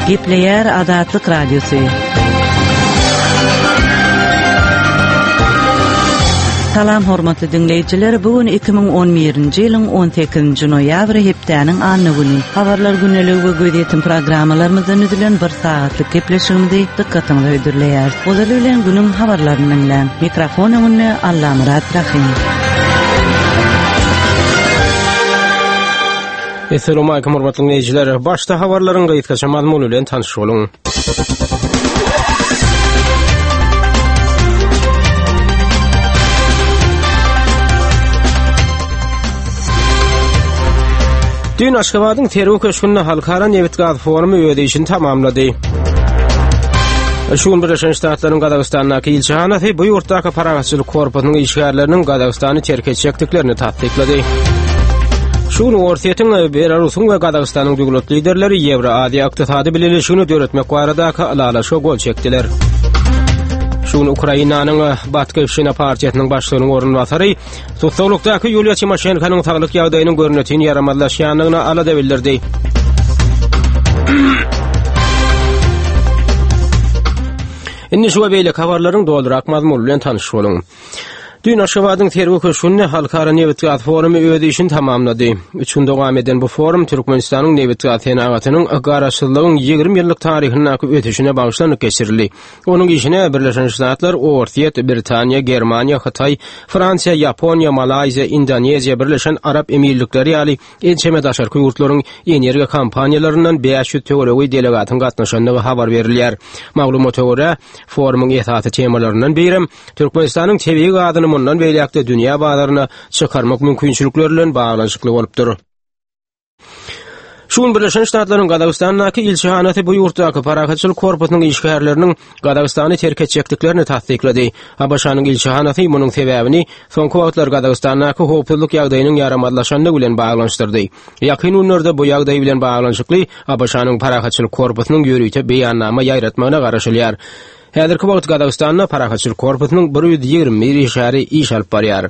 Gepleýär Azatlyk Radiosy. Salam hormatly diňleýjiler, bu gün 2011-nji ýylyň 18-nji noýabry hepdäniň anna güni. Habarlar gündeligi we gözýetim programmalarymyzdan düzülen bir sagatlyk gepleşigimizi dykgatyňyza hödürleýäris. Ozaly bilen günüň habarlaryny diňläň. Mikrofon öňünde Allamyrat Rahym. Essalamu aýkum hormatly diňleýjiler. Başda habarlaryň gysgaça mazmuny bilen tanyş boluň. Düýn Aşgabadyň Sergi köşgünde Halkara nebit-gaz forumy öz işini tamamlady. Şu gün Birleşen Ştatlaryň Gazagystandaky ilçihanasy bu ýurtdaky parahatçylyk korpusynyň işgärleriniň Gazagystany terk etjekdiklerini tassyklady. Şu gün Orsýetiň, Belarusyň we Gazagystanyň döwlet liderleri Ýewroaziýa ykdysady bileleşigini döretmek baradaky ylalaşyga gol çekdiler. Şu gün Ukrainanyň Batkyşina partiýasynyň başlygynyň orunbasary Tussaglykdaky Ýuliýa Timoşenkonyň saglyk ýagdaýynyň görnetin ýaramazlaşýandygyna alada bildirdi. Indi şu we beýleki habarlaryň dolurak mazmuny bilen tanyş boluň. Düýn Aşgabadyň Sergi köşgünde Halkara nebit-gaz forumy öz işini tamamlady. Üç gün dowam eden bu forum Türkmenistanyň nebit-gaz senagatynyň Garaşsyzlygyň 20 ýyllyk taryhyndaky ösüşine bagyşlanyp geçirildi. Onuň işine Birleşen Ştatlar, Orsýet, Britaniýa, Germaniýa, Hytaý, Fransiýa, Ýaponiýa, Malaýziýa, Indoneziýa, Birleşen Arap Emirlikleri ýaly ençeme daşarky ýurtlaryň energiýa kompaniýalaryndan 500 töweregi delegatyň gatnaşandygy habar berilýär. Maglumata görä, forumyň esasy temalaryndan birem Türkmenistanyň tebigy gazyny mundan beýläk-de dünýä bazaryna çykarmak mümkinçilikleri bilen baglanyşykly bolupdyr. Şu gün Birleşen Ştatlaryň Gazagystandaky ilçihanasy bu ýurtdaky parahatçylyk korpusynyň işgärleriniň Gazagystany terk etjekdiklerini tassyklady. ABŞ-nyň ilçihanasy munuň sebäbini soňky wagtlar Gazagystandaky howpsuzlyk ýagdaýynyň ýaramazlaşandygy bilen baglanyşdyrdy. Ýakyn günlerde bu ýagdaý bilen baglanyşykly ABŞ-nyň parahatçylyk korpusynyň ýörite beýannama ýaýratmagyna garaşylýar. Häzirki wagt Gazagystanda parahatçylyk korpusynyň 121 işgäri iş alyp barýar.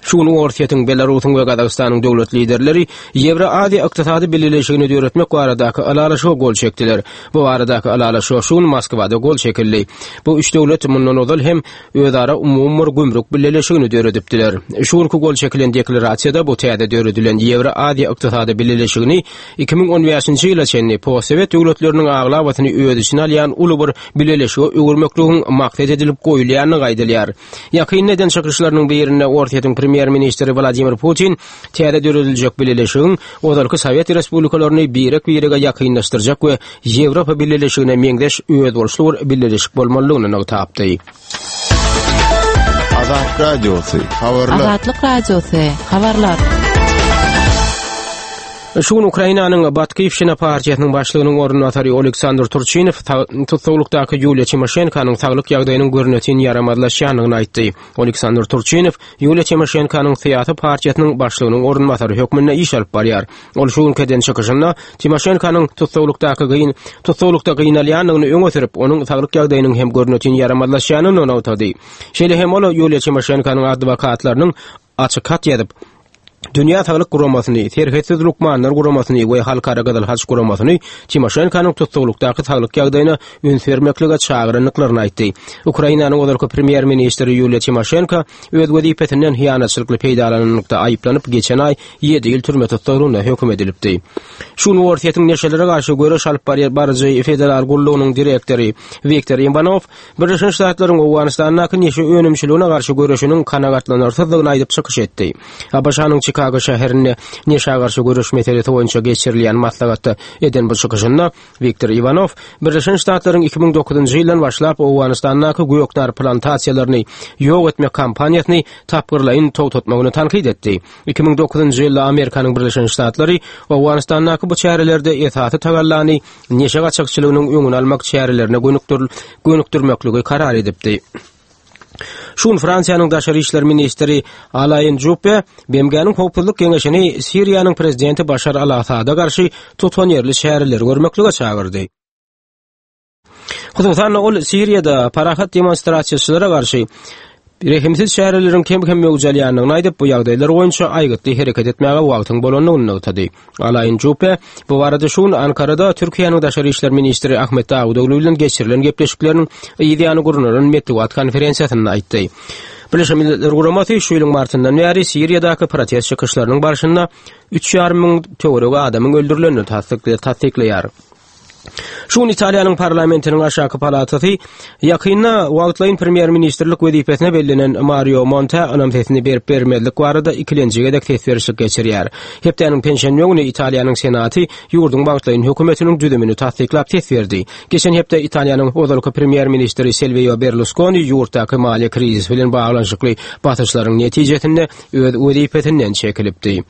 Şu gün Orsýetiň, Belarusyň we Gazagystanyň döwlet liderleri Ýewroaziýa ykdysady bileleşigini döretmek baradaky ylalaşyga gol çekdiler. Bu baradaky ylalaşyga şu gün Moskwada gol çekildi. Bu üç döwlet mundan ozal hem özara umumy bir gümrük bileleşigini döredipdiler. Şu günki gol çekilen deklarasiýada bu täze döredilen Ýewroaziýa ykdysady bileleşigini 2015-nji ýyla çenli postsowet döwletleriniň aglabasyny öz içine alýan uly bir bileleşige öwürmekligiň maksat edilip goýulýandygy aýdylýar. Ýakynda eden çykyşlarynyň birinde Orsýetiň premýer-ministri Wladimir Putin täze dörediljek bileleşigiň ozalky sowet respublikalaryny birek-birege ýakynlaşdyrjak we Ýewropa Bileleşigine meňzeş özboluşly bir bileleşik bolmalydygyny nygtapdy. Azat Radiosy, habarlar. Azatlyk Radiosy, habarlar. Şu gün Ukrainanyň Batkiwşina partiýasynyň başlygynyň orunbasary Oleksandr Turçinow tussaglykdaky Ýuliýa Timoşenkonyň saglyk ýagdaýynyň görnetin ýaramazlaşýandygyny aýtdy. Oleksandr Turçinow Ýuliýa Timoşenkonyň syýasy partiýasynyň başlygynyň orunbasary hökmünde iş alyp barýar. Ol şu günki eden çykyşynda Timoşenkonyň tussaglykdaky gyn tussaglykda gynalýandygyny öňe sürüp, onuň saglyk ýagdaýynyň hem görnetin ýaramazlaşýanyny nygtady. Şeýle hem ol Ýuliýa Timoşenkonyň adwokatlarynyň açyk hat ýazyp, Dünýä Saglyk Guramasyny, Serhetsiz lukmanlar guramasyny we Halkara Gyzyl Haç guramasyny Timoşenkonyň tussaglykdaky saglyk ýagdaýyna üns bermeklige çagyrandyklaryny aýtdy. Ukrainanyň ozalky premýer-ministri Ýuliýa Timoşenko öz wezipesinden hyýanatçylykly peýdalananlykda aýyplanyp, geçen aý ýedi ýyl türme tussaglygyna höküm edilipdi. Şu gün Orsýetiň neşelere garşy göreş alyp baryjy federal gullugynyň direktory Wiktor Iwanow Birleşen Ştatlaryň Owganystandaky neşe önümçiligine garşy göreşiniň kanagatlanarsyzdygyny aýdyp çykyş etdi. ABŞ-nyň Çikago şäherinde neşä garşy göreş meselesi boýunça geçirilýän maslahatda eden bu çykyşynda Wiktor Iwanow Birleşen Ştatlaryň 2009-njy ýyldan başlap Owganystandaky göknar plantasiýalaryny ýok etmek kampaniýasyny tapgyrlaýyn togtatmagyny tankyt etdi. 2009-njy ýylda Amerikanyň Birleşen Ştatlary Owganystandaky bu çärelerde esasy tagallany neşe gaçakçylygynyň öňüni almak çärelerine gönükdirmekligi karar edipdi. Şu gün Fransiýanyň daşary işler ministri Alain Juppe BMG-niň Howpsuzlyk Geňeşini Siriýanyň prezidenti Başar al-Assada garşy tutanýerli çäreleri görmeklige çagyrdy. Hususan-da, ol Siriýada parahat demonstrasiýaçylara garşy. Rehimsiz çäreleriň kem-kem möwç alýandygyny aýdyp, bu ýagdaýlar boýunça aýgytly hereket etmäge wagtyň bolandygyny nygtady. Alain Juppe bu barada şu gün Ankarada Türkiýäniň daşary işler ministri Ahmet Dawutoglu bilen geçirilen gepleşikleriniň yz ýany gurnalan metbugat konferensiýasynda aýtdy. Birleşen Milletler Guramasy şu ýylyň martyndan bäri Siriýadaky protest çykyşlarynyň barşynda üç ýarym müň töweregi adamyň öldürilenini tassyklaýar. Şu gün Italiýanyň parlamentiniň aşaky palatasy ýakynda wagtlaýyn premýer-ministrlik wezipesine bellenen Mario Montä ynam sesini berip-bermezlik barada ikilenji gezek ses berişlik geçirýär. Hepdäniň penşenbe güni Italiýanyň Senaty ýurduň wagtlaýyn hökümetiniň düzümini tassyklap ses berdi. Geçen hepde Italiýanyň ozalky premýer-ministri Silwio Berluskoni ýurtdaky maliýe krizisi bilen baglanyşykly basyşlaryň netijesinde öz wezipesinden çekilipdi.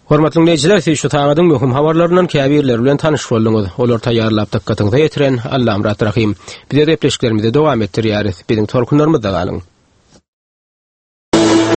Hormatly diňleýjiler, siz şu sagadyň möhüm habarlaryndan käbirleri bilen tanyş bolduňyz. Olary taýýarlap dykgatyňyza ýetiren Allamyrat Rahym. Biz öz gepleşiklerimizi dowam etdirýäris. Biziň tolkunlarymyzda galyň.